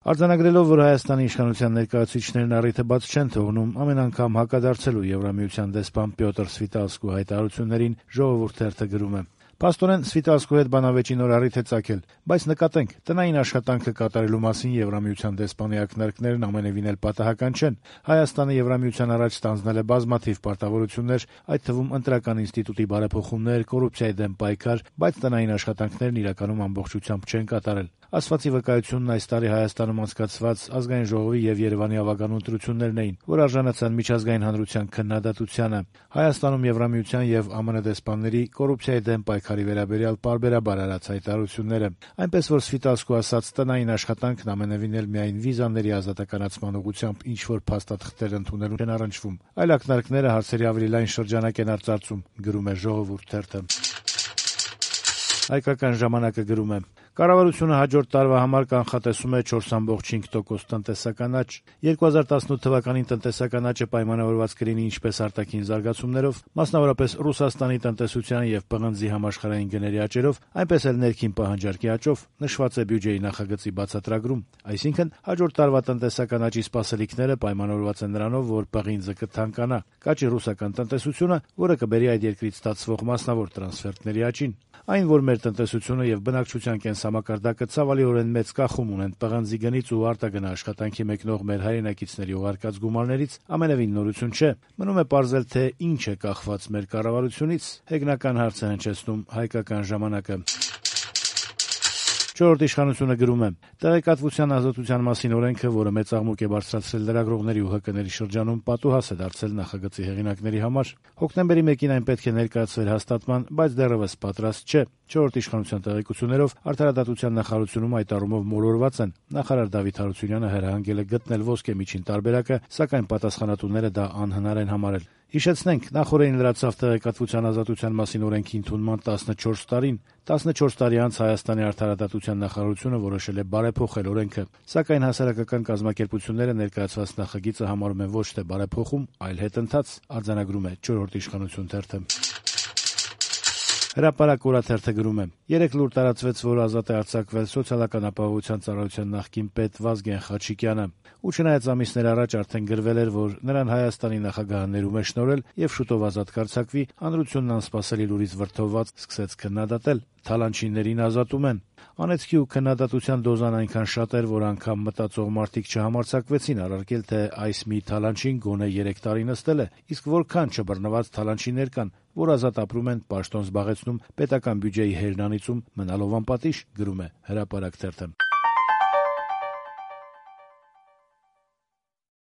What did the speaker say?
Արձանագրելով, որ Հայաստանի իշխանության ներկայացուցիչներն առիթը բաց չեն թողնում ամեն անգամ հակադարձելու Եվրամիության դեսպան Պյոտր Սվիտալսկու հայտարարություններին, Ժողովուրդ թերթը գրում է. «Փաստորեն Սվիտալսկու հետ բանավեճի նոր առիթ է ծագել, բայց նկատենք, տնային աշխատանքը կատարելու մասին Եվրամիության դեսպանի ակնարկներն ամենևին էլ պատահական չեն։ Հայաստանը Եվրամիության առաջ ստանձնել է բազմաթիվ պարտավորություններ, այդ թվում ընտրական ինստիտուտի բարեփոխումներ, կոռուպցիայի դեմ պայքար, բայց տնային աշխատանքներն իրականում ամբողջությամբ չեն կատարել։ Ասվածի վկայությունն այս տարի Հայաստանում անցկացված Ազգային ժողովի եւ Երևանի ավագանու ընտրություններն էին, որ արժանացան միջազգային հանրության քննադատությանը։ Հայաստանում Եվրամիության եւ ԱՄՆ դեսպանների կոռուպցիայի դեմ պայքարի վերաբերյալ պարբերաբար արած հայտարարությունները, այնպես որ Սվիտալսկու ասած տնային աշխատանքն ամենևին էլ միայն վիզաների ազատականացման ուղղությամբ ինչ որ փաստաթղթեր ընդունելու են առնչվում, այլ ակնարկները հարցերի ավելի լայն շրջանակ են արծարծում», գրում է Ժողովուրդ թերթը։ Հայկական ժամանակը գրում է. «Կառավարությունը հաջորդ տարվա համար կանխատեսում է 4.5% տնտեսական աճ։ 2018 թվականին տնտեսական աճը պայմանավորված կլինի ինչպես արտաքին զարգացումներով, մասնավորապես Ռուսաստանի տնտեսության եւ պղնձի համաշխարհային գների աճերով, այնպես էլ ներքին պահանջարկի աճով, նշված է բյուջեի նախագծի բացատրագրում։ Այսինքն, հաջորդ տարվա տնտեսական աճի սպասելիքները պայմանավորված են նրանով, որ պղինձը կթանկանա, կաճի ռուսական տնտեսությունը, որը կբերի այդ երկրից ստացվող մասնավոր տրանսֆերտների աճին։ Այն, որ մեր տնտեսությունը եւ բնակչության կենսամակարդակը ցավալիորեն մեծ կախում ունեն պղնձի գնից ու արտագնա աշխատանքի մեկնող մեր հայրենակիցների ուղարկած գումարներից, ամենևին նորություն չէ։ Մնում է պարզել, թե ինչ է կախված մեր կառավարությունից, հեգնական հարց է հնչեցնում Հայկական ժամանակը։ Չորրորդ իշխանությունը գրում է. «Տեղեկատվության ազատության մասին օրենքը, որը մեծ աղմուկ է բարձրացրել լրագրողների ու ՀԿ-ների շրջանում, պատուհաս է դարձել նախագծի հեղինակների համար։ Հոկտեմբերի 1-ին այն պետք է ներկայացվեր հաստատման, բայց դեռևս պատրաստ չէ։ Չորրորդ իշխանության տեղեկություններով Արդարադատության նախարարությունում այդ առումով մոլորված են։ Նախարար Դավիթ Հարությունյանը հրահանգել է գտնել ոսկե միջին տարբերակը, սակայն պատասխանատուները դա անհնար են համարել։ Հիշեցնենք, նախորդին լրացավ տեղեկատվության ազատության մասին օրենքի ընդունման 14 տարին։ 14 տարի անց Հայաստանի Արդարադատության նախարարությունը որոշել է բարեփոխել օրենքը, սակայն հասարակական կազմակերպությունները ներկայացված նախագիծը համարում են ոչ թե բարեփոխում, այլ հետընթաց, արձանագրում է Չորրորդ իշխանություն թերթը։ Հրապարակ օրաթերթը գրում է. «Երեկ լուր տարածվեց, որ ազատ է արձակվել Սոցիալական ապահովության ծառայության նախկին պետ Վազգեն Խաչիկյանը, ու չնայած ամիսներ առաջ արդեն գրվել էր, որ նրան Հայաստանի նախագահը ներում է շնորհել եւ շուտով ազատ կարձակվի, հանրությունն անսպասելի լուրից վրդովված սկսեց քննադատել. Թալանչիներին ազատում են։ Անեծքի ու քննադատության դոզան այնքան շատ էր, որ անգամ մտածող մարդիկ չհամարձակվեցին առարկել, թե այս մի թալանչին գոնե 3 տարի նստել է, իսկ որքան չբռնված թալանչիներ կան, որ ազատ ապրում են, պաշտոն զբաղեցնում, պետական բյուջեի հերնանիցում մնալով անպատիժ», գրում է Հրապարակ թերթը։